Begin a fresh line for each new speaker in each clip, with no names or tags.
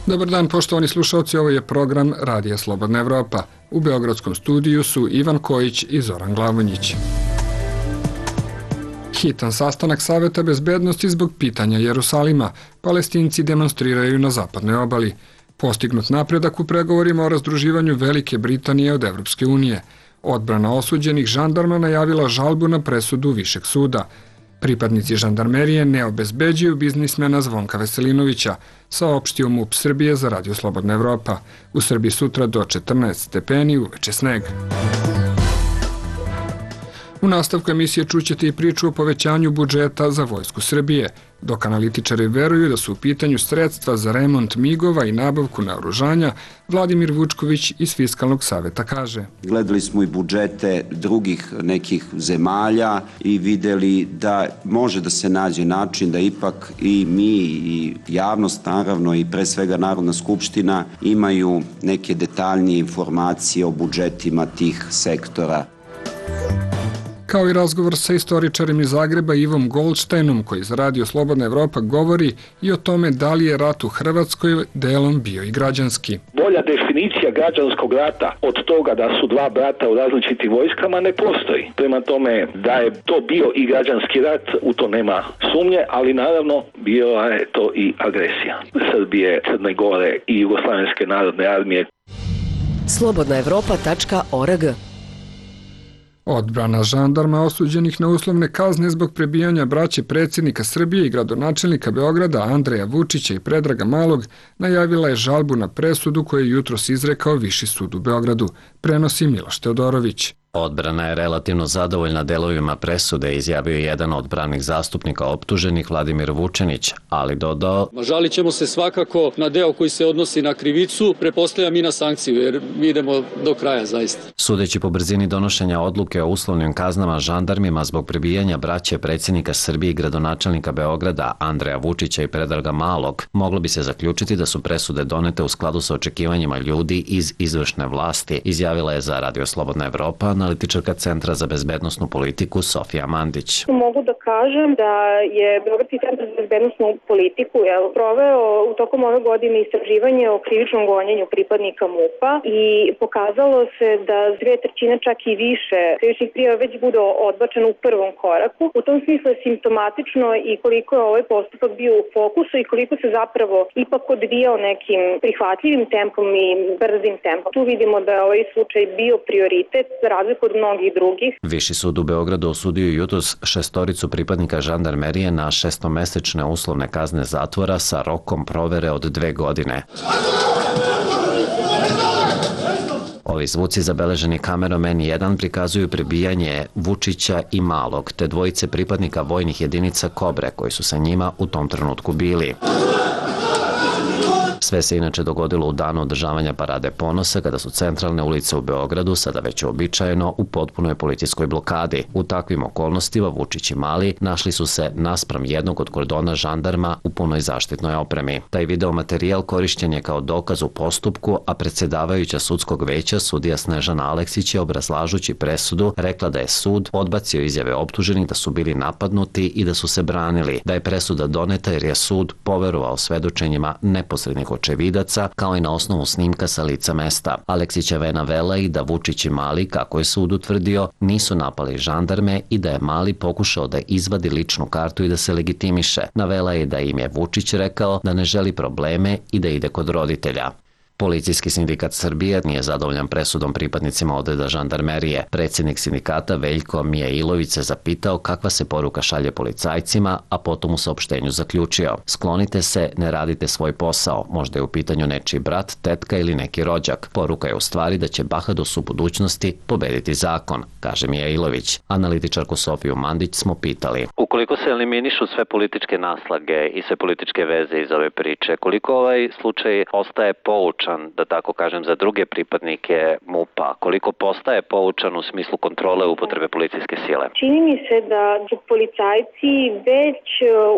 Dobar dan, poštovani slušalci, ovo je program Radija Slobodna Evropa. U beogradskom studiju su Ivan Kojić i Zoran Glavonjić. Hitan sastanak Saveta bezbednosti zbog pitanja Jerusalima. Palestinci demonstriraju na zapadnoj obali. Postignut napredak u pregovorima o razdruživanju Velike Britanije od Evropske unije. Odbrana osuđenih žandarma najavila žalbu na presudu Višeg suda. Pripadnici žandarmerije ne obezbeđuju biznismena Zvonka Veselinovića, saopštio MUP Srbije za Radio Slobodna Evropa. U Srbiji sutra do 14 stepeni, uveče sneg. U nastavku emisije čućete i priču o povećanju budžeta za Vojsku Srbije, dok analitičari veruju da su u pitanju sredstva za remont migova i nabavku naoružanja, Vladimir Vučković iz Fiskalnog saveta kaže.
Gledali smo i budžete drugih nekih zemalja i videli da može da se nađe način da ipak i mi i javnost naravno i pre svega Narodna skupština imaju neke detaljnije informacije o budžetima tih sektora.
Kao i razgovor sa istoričarem iz Zagreba Ivom Goldsteinom, koji za Radio Slobodna Evropa govori i o tome da li je rat u Hrvatskoj delom bio i građanski.
Bolja definicija građanskog rata od toga da su dva brata u različitim vojskama ne postoji. Prema tome da je to bio i građanski rat, u to nema sumnje, ali naravno bila je to i agresija Srbije, Crne Gore i Jugoslavenske narodne armije.
slobodnaevropa.org.
Odbrana žandarma osuđenih na uslovne kazne zbog prebijanja braće predsjednika Srbije i gradonačelnika Beograda Andreja Vučića i Predraga Malog najavila je žalbu na presudu koju je jutros izrekao Viši sud u Beogradu, prenosi Miloš Teodorović.
Odbrana je relativno zadovoljna delovima presude, izjavio je jedan od pravnih zastupnika optuženih Vladimir Vučenić, ali dodao:
žalit ćemo se svakako na deo koji se odnosi na krivicu, pretpostavljam i na sankciju, jer mi idemo do kraja zaista.
Sudeći po brzini donošenja odluke o uslovnim kaznama žandarmima zbog prebijanja braće predsjednika Srbije i gradonačelnika Beograda Andreja Vučića i Predraga Malog, moglo bi se zaključiti da su presude donete u skladu sa očekivanjima ljudi iz izvršne vlasti, izjavila je za Radio Slobodna Evropa analitičarka Centra za bezbednosnu politiku Sofija Mandić.
Mogu da kažem da je Beogradski centar za bezbednosnu politiku proveo u tokom ove godine istraživanje o krivičnom gonjenju pripadnika MUP-a i pokazalo se da 2/3 čak i više krivičnih prijava već bude odbačeno u prvom koraku. U tom smislu je simptomatično i koliko je ovaj postupak bio u fokusu i koliko se zapravo ipak odvijao nekim prihvatljivim tempom i brzim tempom. Tu vidimo da je ovaj slučaj bio prioritet za razliku od mnogih drugih.
Viši sud u Beogradu osudio jutros 6 pripadnika žandarmerije na 6-mesečne uslovne kazne zatvora sa rokom provere od 2 godine. Ovi zvuci zabeleženi kamerom N1 prikazuju prebijanje Vučića i Malog, te dvojice pripadnika vojnih jedinica Kobre koji su sa njima u tom trenutku bili. Sve se inače dogodilo u danu održavanja Parade ponosa, kada su centralne ulice u Beogradu, sada već uobičajeno, u potpunoj policijskoj blokadi. U takvim okolnostima Vučić i Mali našli su se naspram jednog od kordona žandarma u punoj zaštitnoj opremi. Taj video materijal korišćen je kao dokaz u postupku, a predsjedavajuća sudskog veća sudija Snežana Aleksić je, obrazlažući presudu, rekla da je sud odbacio izjave optuženih da su bili napadnuti i da su se branili, da je presuda doneta jer je sud poverovao svedočenjima neposrednih očevidaca, kao i na osnovu snimka sa lica mesta. Aleksićeva je navela i da Vučić i Mali, kako je sud utvrdio, nisu napali žandarme i da je Mali pokušao da izvadi ličnu kartu i da se legitimiše. Navela je da im je Vučić rekao da ne želi probleme i da ide kod roditelja. Policijski sindikat Srbije nije zadovoljan presudom pripadnicima odreda žandarmerije. Predsjednik sindikata Veljko Mijailović se zapitao kakva se poruka šalje policajcima, a potom u saopštenju zaključio: sklonite se, ne radite svoj posao, možda je u pitanju nečiji brat, tetka ili neki rođak. Poruka je u stvari da će bahadost u budućnosti pobediti zakon, kaže Mijailović. Analitičarku Sofiju Mandić smo pitali:
ukoliko se eliminišu sve političke naslage i sve političke veze iz ove priče, koliko ovaj slučaj ostaje poučan
poučan, da tako kažem, za druge pripadnike MUP-a? Koliko postaje poučan u smislu kontrole upotrebe policijske sile?
Čini mi se da su policajci već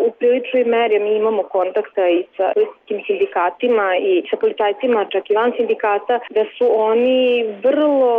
u priličnoj meri, mi imamo kontakta i sa policijskim sindikatima i sa policajcima, čak i van sindikata, da su oni vrlo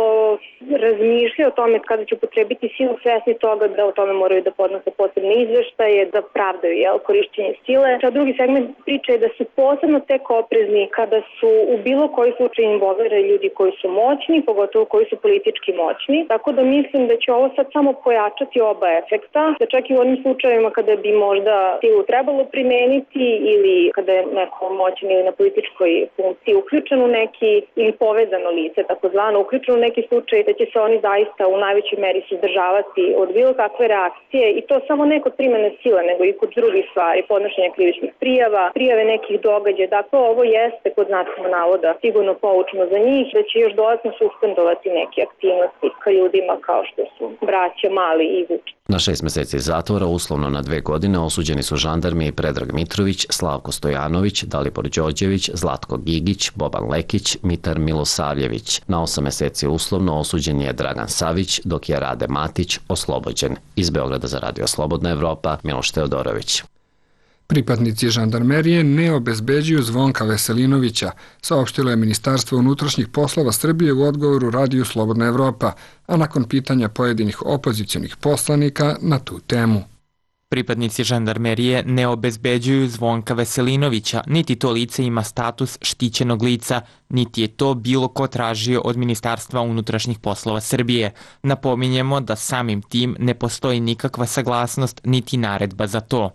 razmišljaju o tome kada će upotrebiti silu, svesni toga da o tome moraju da podnose posebne izveštaje, da pravdaju korišćenje sile. A drugi segment priče je da su posebno tek oprezni kada su u bilo koji slučaj involvirani ljudi koji su moćni, pogotovo koji su politički moćni. Tako da mislim da će ovo sad samo pojačati oba efekta, da čak i u onim slučajevima kada bi možda silu trebalo primeniti ili kada je neko moćan ili na političkoj funkciji uključen u neki ili povezano lice, takozvano uključen u neki slučaj, da će se oni zaista u najvećoj meri suzdržavati od bilo kakve reakcije i to samo ne kod primene sile, nego i kod drugih stvari, podnošenja krivičnih prijava, prijave nekih događaja. Dakle, ovo jeste kod znacima navoda sigurno poučno za njih, da će još dodatno suspendovati neke aktivnosti ka ljudima kao što su braća Mali i Vučić.
Na 6 meseci zatvora, uslovno na 2 godine, osuđeni su žandarmi Predrag Mitrović, Slavko Stojanović, Dalibor Đorđević, Zlatko Gigić, Boban Lekić, Mitar Milosavljević. Na 8 meseci uslovno osuđen je Dragan Savić, dok je Rade Matić oslobođen. Iz Beograda za Radio Slobodna Evropa, Miloš Teodorović.
Pripadnici žandarmerije ne obezbeđuju Zvonka Veselinovića, saopštilo je Ministarstvo unutrašnjih poslova Srbije u odgovoru Radiju Slobodna Evropa, a nakon pitanja pojedinih opozicionih poslanika na tu temu.
Pripadnici žandarmerije ne obezbeđuju Zvonka Veselinovića, niti to lice ima status štićenog lica, niti je to bilo ko tražio od Ministarstva unutrašnjih poslova Srbije. Napominjemo da samim tim ne postoji nikakva saglasnost niti naredba za to.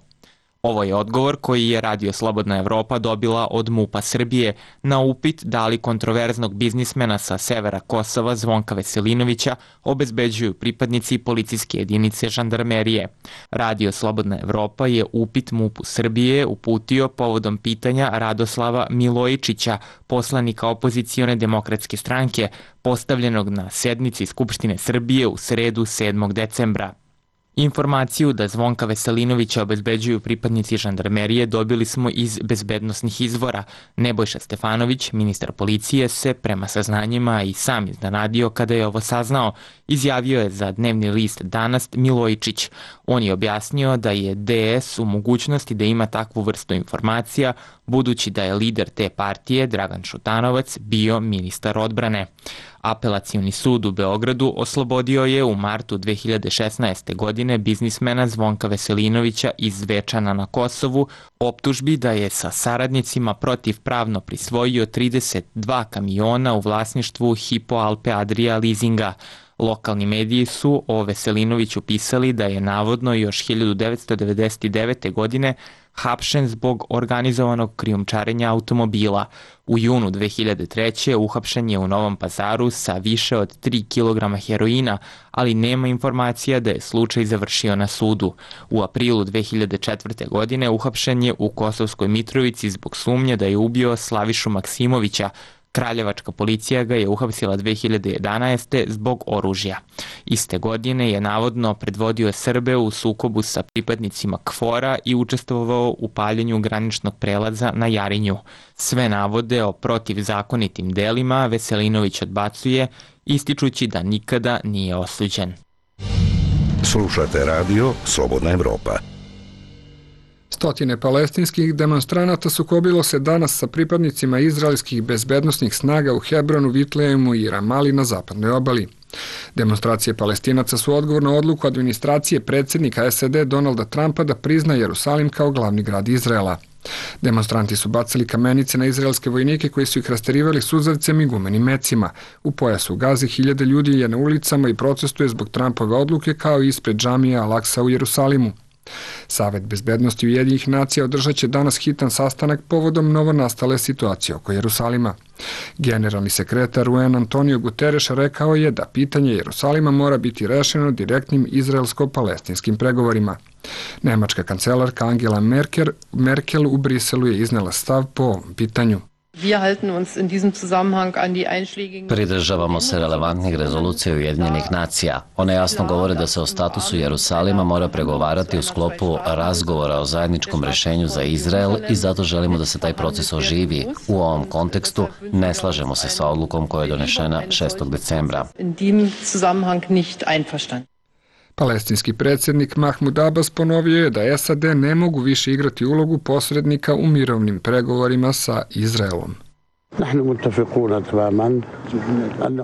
Ovo je odgovor koji je Radio Slobodna Evropa dobila od MUP-a Srbije na upit da li kontroverznog biznismena sa severa Kosova Zvonka Veselinovića obezbeđuju pripadnici policijske jedinice žandarmerije. Radio Slobodna Evropa je upit MUP-u Srbije uputio povodom pitanja Radoslava Milojičića, poslanika opozicione demokratske stranke, postavljenog na sednici Skupštine Srbije u sredu 7. decembra. Informaciju da Zvonka Veselinovića obezbeđuju pripadnici žandarmerije dobili smo iz bezbednosnih izvora. Nebojša Stefanović, ministar policije, se prema saznanjima i sam iznenadio kada je ovo saznao. Izjavio je za dnevni list Danas Milojičić. On je objasnio da je DS u mogućnosti da ima takvu vrstu informacija, budući da je lider te partije, Dragan Šutanovac, bio ministar odbrane. Apelacioni sud u Beogradu oslobodio je u martu 2016. godine biznismena Zvonka Veselinovića iz Zvečana na Kosovu optužbi da je sa saradnicima protivpravno prisvojio 32 kamiona u vlasništvu Hypo Alpe Adria leasinga. Lokalni mediji su o Veselinoviću pisali da je navodno još 1999. godine hapšen zbog organizovanog krijumčarenja automobila. U junu 2003. uhapšen je u Novom Pazaru sa više od 3 kg heroina, ali nema informacija da je slučaj završio na sudu. U aprilu 2004. godine uhapšen je u Kosovskoj Mitrovici zbog sumnje da je ubio Slavišu Maksimovića. Kraljevačka policija ga je uhapsila 2011. zbog oružja. Iste godine je navodno predvodio Srbe u sukobu sa pripadnicima KFOR-a i učestvovao u paljenju graničnog prelaza na Jarinju. Sve navode o protivzakonitim delima Veselinović odbacuje, ističući da nikada nije osuđen.
Slušate Radio Slobodna Evropa.
Stotine palestinskih demonstranata sukobilo se danas sa pripadnicima izraelskih bezbednosnih snaga u Hebronu, Vitlejemu i Ramali na zapadnoj obali. Demonstracije Palestinaca su odgovor na odluku administracije predsjednika SAD Donalda Trumpa da prizna Jerusalim kao glavni grad Izraela. Demonstranti su bacili kamenice na izraelske vojnike koji su ih rasterivali suzavcem i gumenim mecima. U pojasu Gazi 1000 ljudi je na ulicama i protestuje zbog Trumpove odluke kao i ispred džamije Al-Aksa u Jerusalimu. Savet bezbednosti Ujedinjenih nacija održat će danas hitan sastanak povodom novonastale situacije oko Jerusalima. Generalni sekretar UN Antonio Guterres rekao je da pitanje Jerusalima mora biti rešeno direktnim izraelsko-palestinskim pregovorima. Nemačka kancelarka Angela Merkel u Briselu je iznela stav po ovom pitanju.
Pridržavamo se relevantnih rezolucija Ujedinjenih nacija. One jasno govore da se o statusu Jerusalima mora pregovarati u sklopu razgovora o zajedničkom rešenju za Izrael i zato želimo da se taj proces oživi. U ovom kontekstu ne slažemo se sa odlukom koja je donešena 6. decembra.
Palestinski predsjednik Mahmud Abbas ponovio je da SAD ne mogu više igrati ulogu posrednika u mirovnim pregovorima sa Izraelom.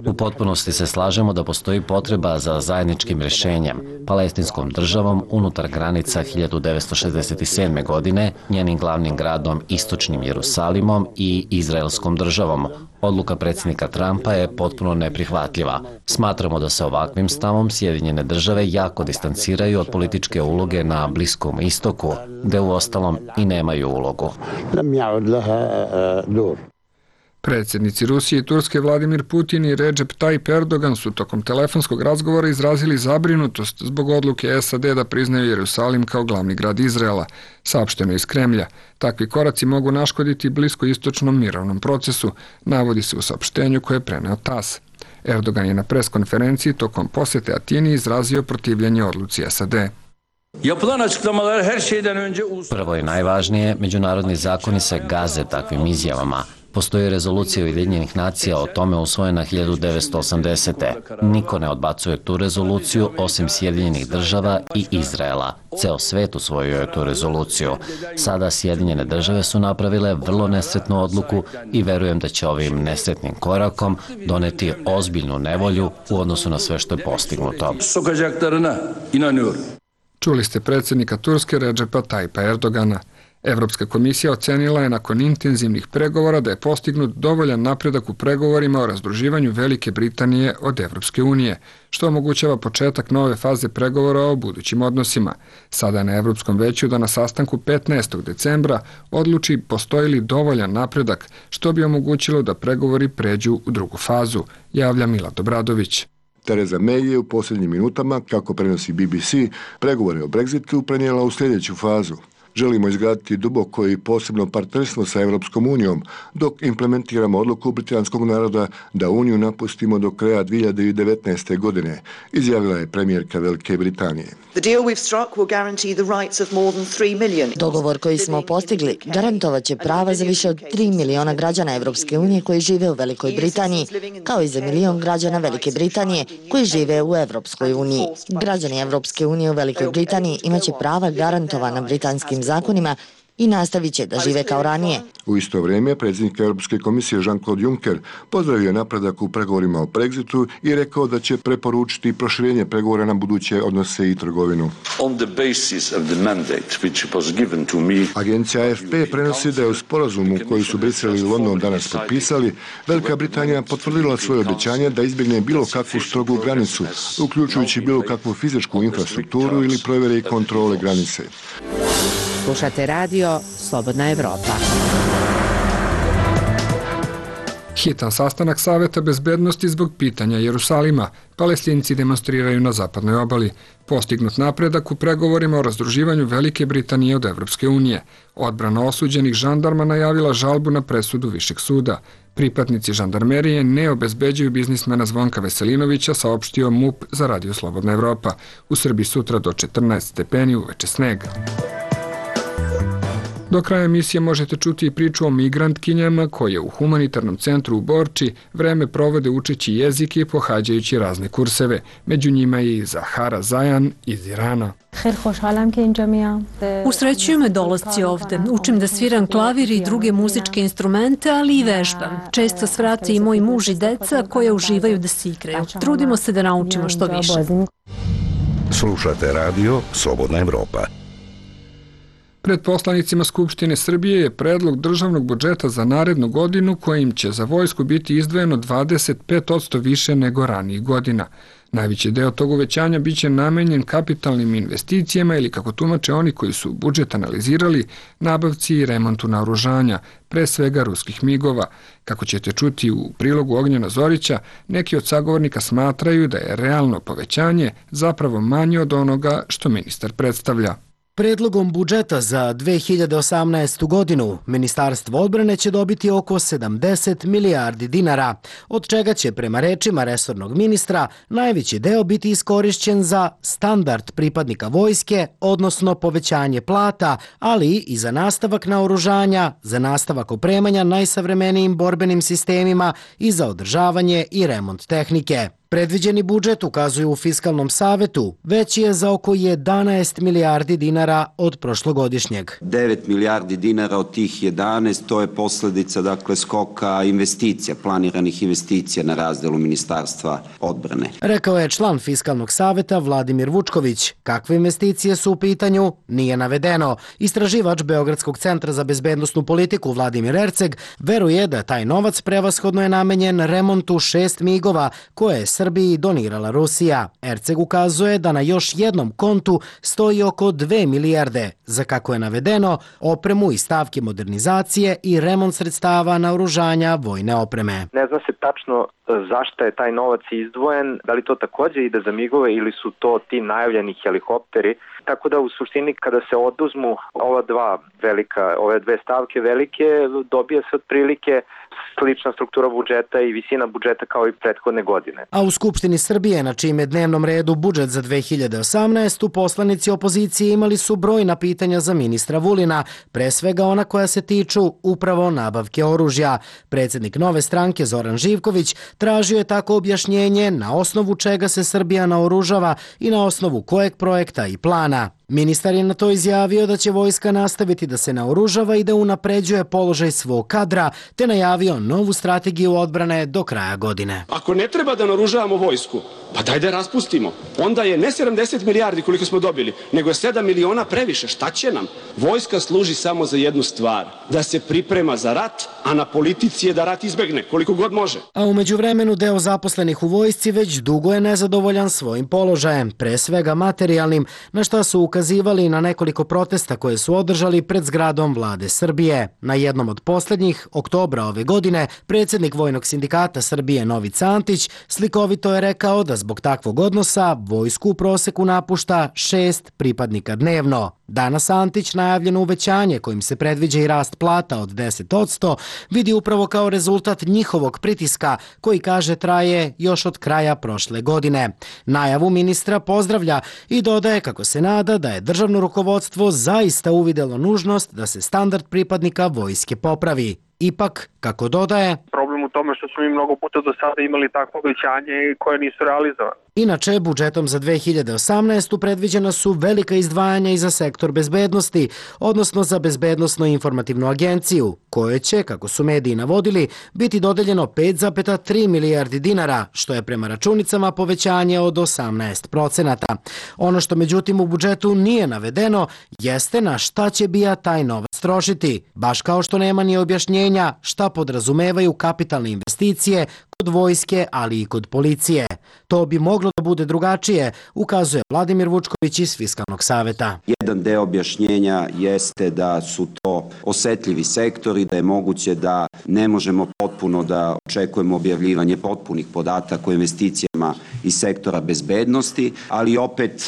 U potpunosti se slažemo da postoji potreba za zajedničkim rešenjem, palestinskom državom unutar granica 1967. godine, njenim glavnim gradom istočnim Jerusalimom i izraelskom državom. Odluka predsjednika Trumpa je potpuno neprihvatljiva. Smatramo da se ovakvim stavom Sjedinjene države jako distanciraju od političke uloge na Bliskom istoku, gde uostalom i nemaju ulogu.
Predsjednici Rusije i Turske Vladimir Putin i Recep Tayyip Erdogan su tokom telefonskog razgovora izrazili zabrinutost zbog odluke SAD da priznaju Jerusalim kao glavni grad Izraela, saopšteno iz Kremlja. Takvi koraci mogu naškoditi bliskoistočnom mirovnom procesu, navodi se u saopštenju koje je preneo TASS. Erdogan je na preskonferenciji tokom posete Atini izrazio protivljenje odluci SAD.
Prvo i najvažnije, međunarodni zakoni se gaze takvim izjavama. Postoji rezolucija Ujedinjenih nacija o tome usvojena 1980. Niko ne odbacuje tu rezoluciju osim Sjedinjenih država i Izraela. Ceo svet usvojio je tu rezoluciju. Sada Sjedinjene države su napravile vrlo nesretnu odluku i verujem da će ovim nesretnim korakom doneti ozbiljnu nevolju u odnosu na sve što je postignuto.
Čuli ste predsjednika Turske Recepa Tayyipa Erdogana. Evropska komisija ocenila je nakon intenzivnih pregovora da je postignut dovoljan napredak u pregovorima o razdruživanju Velike Britanije od Evropske unije, što omogućava početak nove faze pregovora o budućim odnosima. Sada je na Evropskom veću da na sastanku 15. decembra odluči postoji li dovoljan napredak, što bi omogućilo da pregovori pređu u drugu fazu, javlja Milad Obradović.
Theresa May je u posljednjim minutama, kako prenosi BBC, pregovore o Brexitu prenijela u sljedeću fazu. Želimo izgraditi duboko i posebno partnerstvo sa Evropskom unijom, dok implementiramo odluku britanskog naroda da Uniju napustimo do kraja 2019. godine, izjavila je premijerka Velike Britanije.
Dogovor koji smo postigli garantovat će prava za više od 3 miliona građana Evropske unije koji žive u Velikoj Britaniji, kao i za 1 milion građana Velike Britanije koji žive u Evropskoj uniji. Građani Evropske unije u Velikoj Britaniji imaće prava garantovana britanskim zakonima i nastavit će da žive kao ranije.
U isto vrijeme, predsjednik Europske komisije Jean-Claude Juncker pozdravio napredak u pregovorima o Brexitu i rekao da će preporučiti proširenje pregovora na buduće odnose i trgovinu. Agencija AFP prenosi da je u sporazumu koji su Brisel i London danas potpisali, Velika Britanija potvrdila svoje obećanje da izbjegne bilo kakvu strogu granicu, uključujući bilo kakvu fizičku infrastrukturu ili provjere i kontrole granice.
Slušate radio Slobodna Evropa.
Hitan sastanak Saveta bezbednosti zbog pitanja Jerusalima. Palestinci demonstriraju na zapadnoj obali. Postignut napredak u pregovorima o razdruživanju Velike Britanije od Evropske unije. Odbrana osuđenih žandarma najavila žalbu na presudu Višeg suda. Pripadnici žandarmerije ne obezbeđuju biznismena Zvonka Veselinovića, saopštio MUP za Radio Slobodna Evropa. U Srbiji sutra do 14 stepeni, uveče sneg. Do kraja emisije možete čuti i priču o migrantkinjama koje u humanitarnom centru u Borči vreme provode učeći jezik i pohađajući razne kurseve. Među njima i Zahara Zajan iz Irana.
Usrećuju me dolasci ovde. Učim da sviram klavir i druge muzičke instrumente, ali i vežbam. Često svrate i moj muž i deca koje uživaju da se igraju. Trudimo se da naučimo što više.
Slušate radio Slobodna Evropa.
Pred poslanicima Skupštine Srbije je predlog državnog budžeta za narednu godinu kojim će za vojsku biti izdvojeno 25% više nego ranijih godina. Najveći deo tog uvećanja biće namenjen kapitalnim investicijama ili, kako tumače oni koji su budžet analizirali, nabavci i remontu naoružanja, pre svega ruskih migova. Kako ćete čuti u prilogu Ognjena Zorića, neki od sagovornika smatraju da je realno povećanje zapravo manje od onoga što ministar predstavlja.
Predlogom budžeta za 2018. godinu Ministarstvo odbrane će dobiti oko 70 milijardi dinara, od čega će prema rečima resornog ministra najveći deo biti iskorišćen za standard pripadnika vojske, odnosno povećanje plata, ali i za nastavak naoružanja, za nastavak opremanja najsavremenijim borbenim sistemima i za održavanje i remont tehnike. Predviđeni budžet, ukazuju u Fiskalnom savetu, veći je za oko 11 milijardi dinara od prošlogodišnjeg.
9 milijardi dinara od tih 11, to je posledica skoka investicija, planiranih investicija na razdelu Ministarstva odbrane.
Rekao je član Fiskalnog saveta Vladimir Vučković. Kakve investicije su u pitanju, nije navedeno. Istraživač Beogradskog centra za bezbednosnu politiku Vladimir Erceg veruje da taj novac prevashodno je namenjen remontu 6 migova koje je Srbiji donirala Rusija. Erceg ukazuje da na još jednom kontu stoji oko 2 milijarde za, kako je navedeno, opremu i stavke modernizacije i remont sredstava naoružanja vojne opreme.
Ne zna se tačno zašto je taj novac izdvojen, da li to takođe ide za migove ili su to ti najavljeni helikopteri. Tako da u suštini kada se oduzmu ove dve stavke velike, dobije se otprilike slična struktura budžeta i visina budžeta kao i prethodne godine.
A u Skupštini Srbije, na čijem je dnevnom redu budžet za 2018. poslanici opozicije imali su brojna pitanja za ministra Vulina, pre svega ona koja se tiču upravo nabavke oružja. Predsjednik Nove stranke Zoran Živković tražio je tako objašnjenje na osnovu čega se Srbija naoružava i na osnovu kojeg projekta i plana. Ministar je na to izjavio da će vojska nastaviti da se naoružava i da unapređuje položaj svog kadra, te najavio novu strategiju odbrane do kraja godine.
Ako ne treba da naoružavamo vojsku, pa daj da raspustimo. Onda je ne 70 milijardi koliko smo dobili, nego je 7 miliona previše. Šta će nam? Vojska služi samo za jednu stvar, da se priprema za rat, a na politici je da rat izbegne koliko god može.
A u međuvremenu deo zaposlenih u vojsci već dugo je nezadovoljan svojim položajem, pre svega materijalnim, na šta su ukazivali na nekoliko protesta koje su održali pred zgradom Vlade Srbije. Na jednom od posljednjih, oktobra ove godine, predsjednik Vojnog sindikata Srbije Novica Antić slikovito je rekao da zbog takvog odnosa vojsku u proseku napušta 6 pripadnika dnevno. Danas Antić najavljeno uvećanje kojim se predviđa i rast plata od 10% vidi upravo kao rezultat njihovog pritiska koji, kaže, traje još od kraja prošle godine. Najavu ministra pozdravlja i dodaje kako se nada da je državno rukovodstvo zaista uvidelo nužnost da se standard pripadnika vojske popravi. Ipak, kako dodaje,
problem u tome što smo mi mnogo puta do sada imali takvo obećanje koje nisu realizovane.
Inače, budžetom za 2018. predviđena su velika izdvajanja i za sektor bezbednosti, odnosno za Bezbednosno-informativnu agenciju, koje će, kako su mediji navodili, biti dodeljeno 5,3 milijardi dinara, što je prema računicama povećanje od 18%. Ono što međutim u budžetu nije navedeno jeste na šta će BIA taj novac trošiti, baš kao što nema ni objašnjenja šta podrazumevaju kapitalne investicije kod vojske, ali i kod policije. To bi moglo da bude drugačije, ukazuje Vladimir Vučković iz Fiskalnog saveta.
Jedan deo objašnjenja jeste da su to osetljivi sektori, da je moguće da ne možemo potpuno da očekujemo objavljivanje potpunih podataka o investicijama iz sektora bezbednosti, ali opet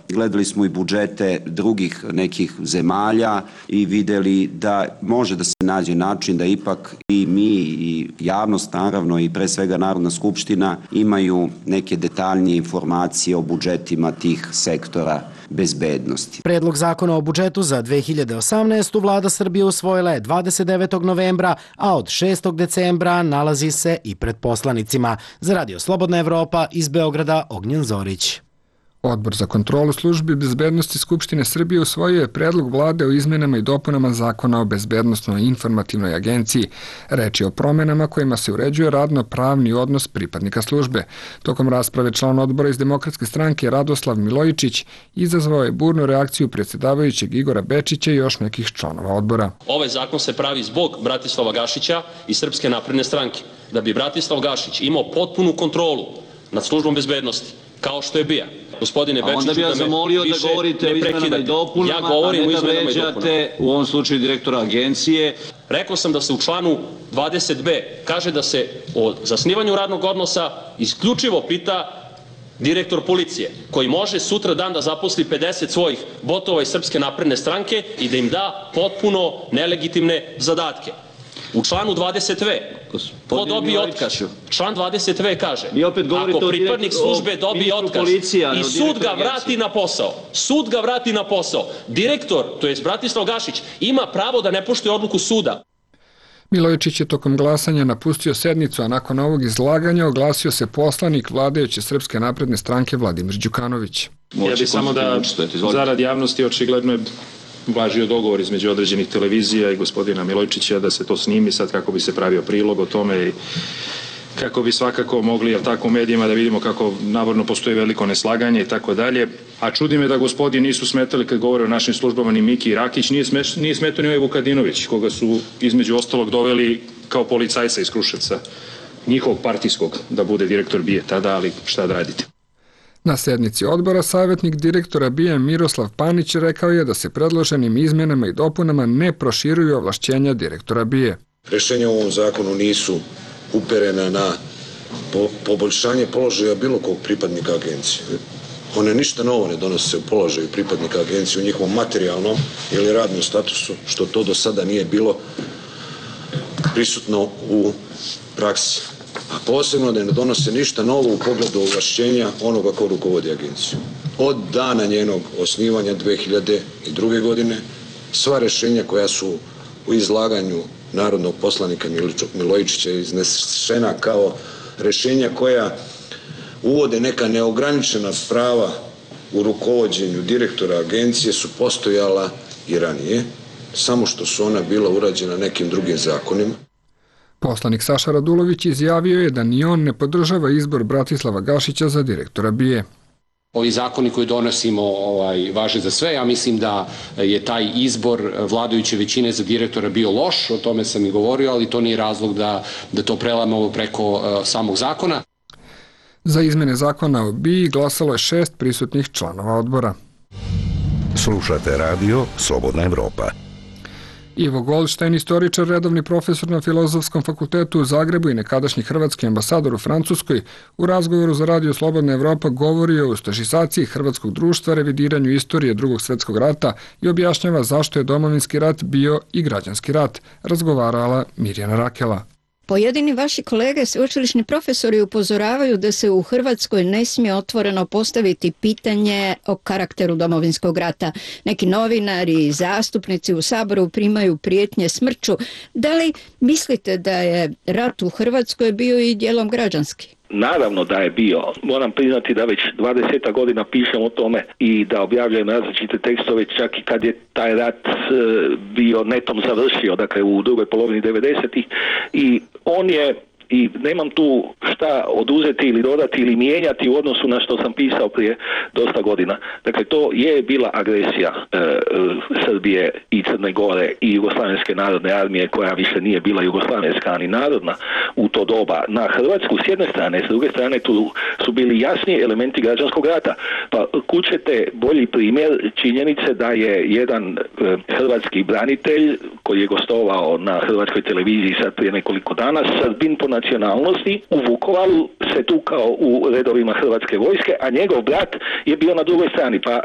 gledali smo i budžete drugih nekih zemalja i videli da može da se nađe način da ipak i mi i javnost, naravno, i pre svega Narodna skupština imaju neke detaljnije informacije o budžetima tih sektora bezbednosti.
Predlog zakona o budžetu za 2018. Vlada Srbije usvojila je 29. novembra, a od 6. decembra nalazi se i pred poslanicima. Za Radio Slobodna Evropa iz Beograda, Ognjen Zorić.
Odbor za kontrolu službi bezbednosti Skupštine Srbije usvojio je predlog vlade o izmenama i dopunama zakona o bezbednosnoj informativnoj agenciji. Reč je o promenama kojima se uređuje radno-pravni odnos pripadnika službe. Tokom rasprave član odbora iz Demokratske stranke Radoslav Milojičić izazvao je burnu reakciju predsjedavajućeg Igora Bečića i još nekih članova odbora.
Ovaj zakon se pravi zbog Bratislava Gašića i Srpske napredne stranke. Da bi Bratislav Gašić imao potpunu kontrolu nad službom bezbednosti, kao što je BIA. Gospodine Bečiću,
onda bi ja zamolio da govorite o izmenama i dopunama, a ne da vređate u ovom slučaju direktora agencije.
Rekao sam da se u članu 20b kaže da se o zasnivanju radnog odnosa isključivo pita direktor policije, koji može sutra dan da zaposli 50 svojih botova iz Srpske napredne stranke i da im da potpuno nelegitimne zadatke. U članu 20v, ko dobije otkaz? Član 20v kaže, ako pripadnik službe dobije otkaz i sud ga vrati na posao, direktor, to je Bratislav Gašić, ima pravo da ne poštuje odluku suda.
Milojičić je tokom glasanja napustio sednicu, a nakon ovog izlaganja oglasio se poslanik vladajuće Srpske napredne stranke Vladimir Đukanović.
Ja bih samo da zarad javnosti očigledno je važio dogovor između određenih televizija i gospodina Milojičića da se to snimi sad kako bi se pravio prilog o tome i kako bi svakako mogli, jel tako, u medijima da vidimo kako navodno postoji veliko neslaganje i tako dalje. A čudi me da gospodi nisu smetali kad govore o našim službama ni Miki Rakić, nije smetao ni ovaj Vukadinović, koga su između ostalog doveli kao policajca iz Kruševca, njihovog partijskog, da bude direktor BIA tada, ali šta da radite.
Na sednici odbora savjetnik direktora BIA Miroslav Panić rekao je da se predloženim izmjenama i dopunama ne proširuju ovlašćenja direktora BIA.
Rešenja u ovom zakonu nisu uperena na poboljšanje položaja bilo kog pripadnika agencije. One ništa novo ne donose u položaju pripadnika agencije u njihovom materijalnom ili radnom statusu, što to do sada nije bilo prisutno u praksi. A posebno da ne donose ništa novo u pogledu ovlašćenja onoga ko rukovodi agenciju. Od dana njenog osnivanja 2002. godine, sva rešenja koja su u izlaganju narodnog poslanika Milojičića iznesena kao rešenja koja uvode neka neograničena prava u rukovođenju direktora agencije su postojala i ranije, samo što su ona bila urađena nekim drugim zakonima.
Poslanik Saša Radulović izjavio je da ni on ne podržava izbor Bratislava Gašića za direktora BIA.
Ovi zakoni koji donosimo važe za sve. Ja mislim da je taj izbor vladajuće većine za direktora bio loš, o tome sam i govorio, ali to nije razlog da to prelamo preko samog zakona.
Za izmene zakona o BIA glasalo je 6 prisutnih članova odbora.
Slušate radio Slobodna Evropa.
Ivo Goldštajn, istoričar, redovni profesor na Filozofskom fakultetu u Zagrebu i nekadašnji hrvatski ambasador u Francuskoj, u razgovoru za radio Slobodna Evropa govorio o ustašizaciji hrvatskog društva, revidiranju istorije Drugog svjetskog rata i objašnjava zašto je domovinski rat bio i građanski rat, razgovarala Mirjana Rakela.
Pojedini vaši kolege, sveučilišni profesori, upozoravaju da se u Hrvatskoj ne smije otvoreno postaviti pitanje o karakteru domovinskog rata. Neki novinari i zastupnici u Saboru primaju prijetnje smrću. Da li mislite da je rat u Hrvatskoj bio i dijelom građanski?
Naravno da je bio. Moram priznati da već 20 godina pišem o tome i da objavljujem različite tekstove, čak i kad je taj rat bio netom završio, dakle u drugoj polovini 90-ih, i on je, i nemam tu šta oduzeti ili dodati ili mijenjati u odnosu na što sam pisao prije dosta godina. Dakle, to je bila agresija Srbije i Crne Gore i Jugoslavenske narodne armije, koja više nije bila jugoslavenska ni narodna u to doba, na Hrvatsku s jedne strane, s druge strane tu su bili jasni elementi građanskog rata. Pa kućete bolji primjer činjenice da je jedan hrvatski branitelj koji je gostovao na hrvatskoj televiziji sad prije nekoliko dana, Srbin po nacionalnosti, u Vukovaru se tukao u redovima Hrvatske vojske, a njegov brat je bio na drugoj strani. Pa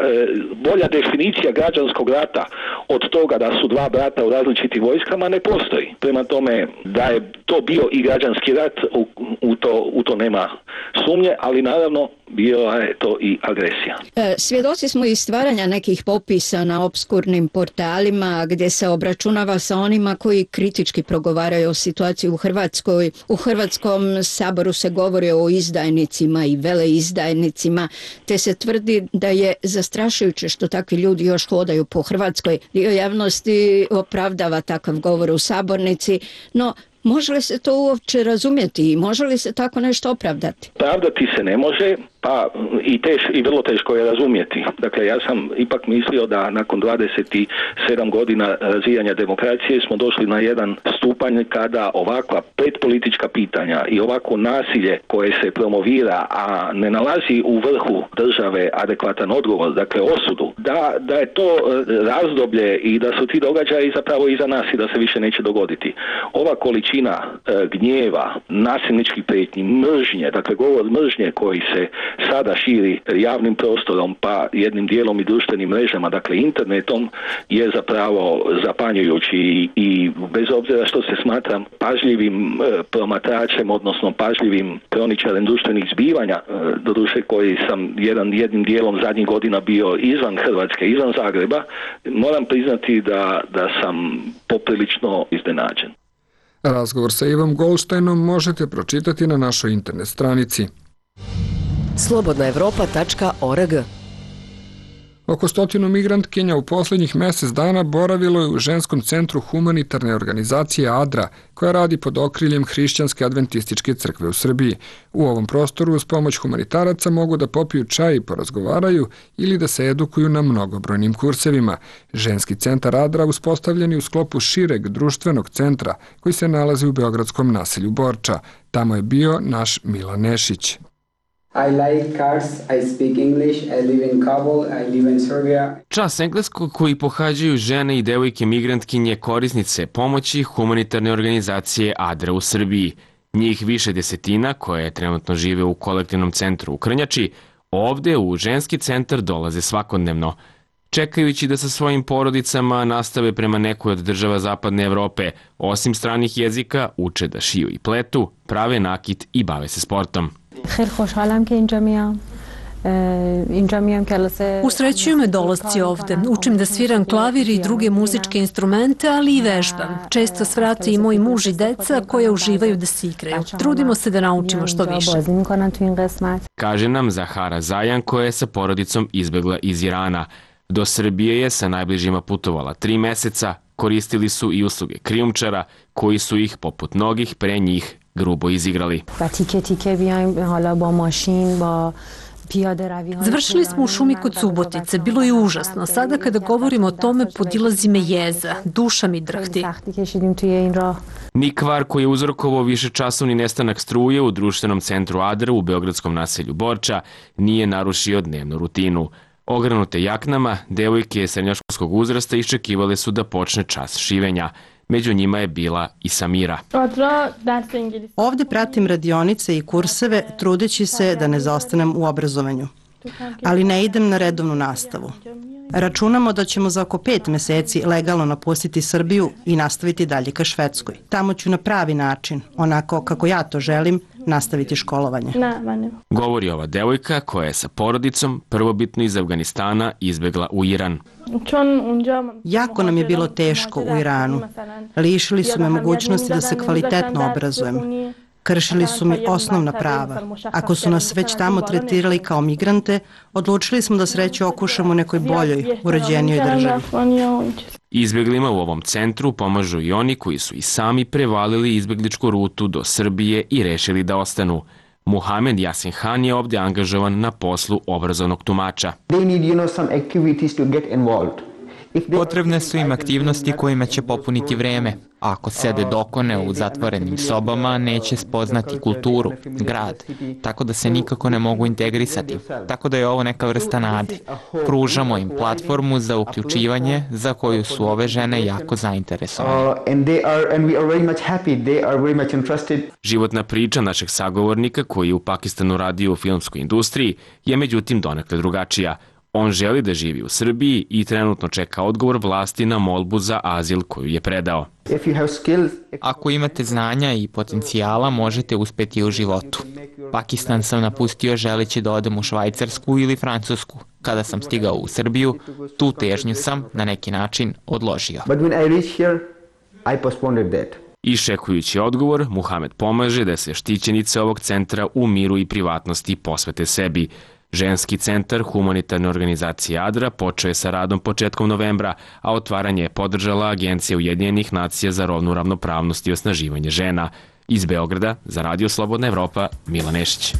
bolja definicija građanskog rata od toga da su dva brata u različitim vojskama ne postoji. Prema tome, da je to bio i građanski rat, u to nema sumnje, ali naravno bio je to i agresija.
Svjedoci smo i stvaranja nekih popisa na opskurnim portalima gdje se obračunava sa onima koji kritički progovaraju o situaciji u Hrvatskoj. U Hrvatskom saboru se govori o izdajnicima i veleizdajnicima, te se tvrdi da je zastrašujuće što takvi ljudi još hodaju po Hrvatskoj. Dio javnosti opravdava takav govor u sabornici, no može li se to uopće razumjeti i može li se tako nešto opravdati?
Pravdati se ne može, pa i vrlo teško je razumjeti. Dakle, ja sam ipak mislio da nakon 27 godina razvijanja demokracije smo došli na jedan stupanj kada ovakva predpolitička pitanja i ovako nasilje koje se promovira, a ne nalazi u vrhu države adekvatan odgovor, dakle osudu, da je to razdoblje i da su ti događaji zapravo iza nas i da se više neće dogoditi. Ova količina gnjeva, nasilničkih prijetnji, mržnje, dakle govor mržnje koji se sada širi javnim prostorom pa jednim dijelom i društvenim mrežama, dakle internetom, je zapravo zapanjujući i bez obzira što se smatram pažljivim promatračem, odnosno pažljivim kroničarem društvenih zbivanja, doduše koji sam jednim dijelom zadnjih godina bio izvan Hrvatske, izvan Zagreba, moram priznati da sam poprilično iznenađen.
Razgovor sa Ivom Goldsteinom možete pročitati na našoj internet stranici.
slobodnaevropa.org.
Oko 100 migrantkinja u posljednjih mjesec dana boravilo je u ženskom centru humanitarne organizacije ADRA, koja radi pod okriljem Hrišćanske adventističke crkve u Srbiji. U ovom prostoru uz pomoć humanitaraca mogu da popiju čaj i porazgovaraju ili da se edukuju na mnogobrojnim kursevima. Ženski centar ADRA uspostavljen je u sklopu šireg društvenog centra koji se nalazi u beogradskom naselju Borča. Tamo je bio naš Milan Nešić.
I like cars, I speak English, I live in Kabul, I live in Serbia.
Čas engleskog koji pohađaju žene i devojke migrantkinje korisnice pomoći humanitarne organizacije ADRA u Srbiji. Njih više desetina koje trenutno žive u kolektivnom centru u Krnjači, ovde u ženski centar dolaze svakodnevno. Čekajući da sa svojim porodicama nastave prema nekoj od država Zapadne Evrope, osim stranih jezika, uče da šiju i pletu, prave nakit i bave se sportom.
Usrećuju me dolasci ovde. Učim da sviram klavir i druge muzičke instrumente, ali i vežbam. Često svrate i moj muž i deca koje uživaju da se igraju. Trudimo se da naučimo što više.
Kaže nam Zahara Zajan koja je sa porodicom izbegla iz Irana. Do Srbije je sa najbližima putovala 3 meseca, koristili su i usluge krijumčara koji su ih, poput mnogih pre njih, grubo izigrali.
Završili smo u šumi kod Subotice, bilo je užasno. Sada kada govorimo o tome podilazi me jeza, duša mi drhti.
Ni kvar koji je uzrokovao višečasovni nestanak struje u društvenom centru ADRA u beogradskom naselju Borča nije narušio dnevnu rutinu. Ogranute jaknama, devojke srednjoškolskog uzrasta iščekivale su da počne čas šivenja. Među njima je bila i Samira.
Ovde pratim radionice i kurseve, trudeći se da ne zaostanem u obrazovanju. Ali ne idem na redovnu nastavu. Računamo da ćemo za oko 5 meseci legalno napustiti Srbiju i nastaviti dalje ka Švedskoj. Tamo ću na pravi način, onako kako ja to želim, nastaviti školovanje.
Govori ova devojka koja je sa porodicom prvobitno iz Afganistana izbegla u Iran.
Jako nam je bilo teško u Iranu. Lišili su me mogućnosti da se kvalitetno obrazujem. Kršili su mi osnovna prava. Ako su nas već tamo tretirali kao migrante, odlučili smo da sreću okušamo u nekoj boljoj, uređenijoj državi.
Izbeglima u ovom centru pomažu i oni koji su i sami prevalili izbegličku rutu do Srbije i rešili da ostanu. Muhamed Yasin Han je ovde angažovan na poslu obrazovnog tumača.
Potrebne su im aktivnosti kojima će popuniti vreme. Ako sede dokone u zatvorenim sobama, neće spoznati kulturu, grad, tako da se nikako ne mogu integrisati. Tako da je ovo neka vrsta nade. Pružamo im platformu za uključivanje za koju su ove žene jako zainteresovane.
Životna priča našeg sagovornika koji je u Pakistanu radio u filmskoj industriji je međutim donekle drugačija. On želi da živi u Srbiji i trenutno čeka odgovor vlasti na molbu za azil koju je predao.
Ako imate znanja i potencijala, možete uspeti u životu. Pakistan sam napustio želeći da odem u Švajcarsku ili Francusku. Kada sam stigao u Srbiju, tu težnju sam na neki način odložio.
Iščekujući odgovor, Muhamed pomaže da se štićenice ovog centra u miru i privatnosti posvete sebi. Ženski centar humanitarne organizacije ADRA počeo je sa radom početkom novembra, a otvaranje je podržala Agencija Ujedinjenih nacija za rodnu ravnopravnost i osnaživanje žena. Iz Beograda, za Radio Slobodna Evropa, Milan Nešić.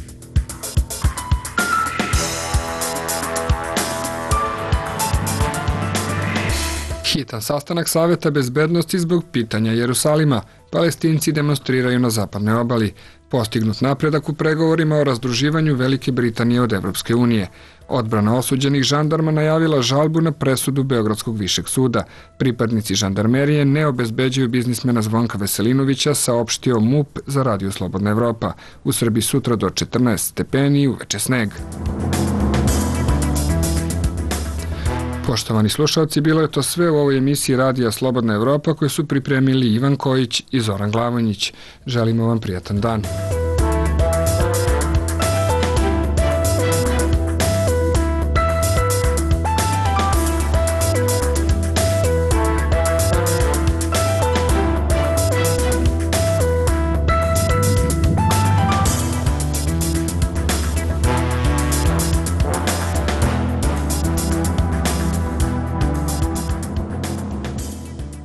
Hitan sastanak Saveta bezbednosti zbog pitanja Jerusalima. Palestinci demonstriraju na zapadnoj obali. Postignut napredak u pregovorima o razdruživanju Velike Britanije od Evropske unije. Odbrana osuđenih žandarma najavila žalbu na presudu Beogradskog višeg suda. Pripadnici žandarmerije ne obezbeđuju biznismena Zvonka Veselinovića, saopštio MUP za Radio Slobodna Evropa. U Srbiji sutra do 14 stepeni i uveče sneg. Poštovani slušalci, bilo je to sve u ovoj emisiji Radija Slobodna Evropa koju su pripremili Ivan Kojić i Zoran Glavonjić. Želimo vam prijatan dan.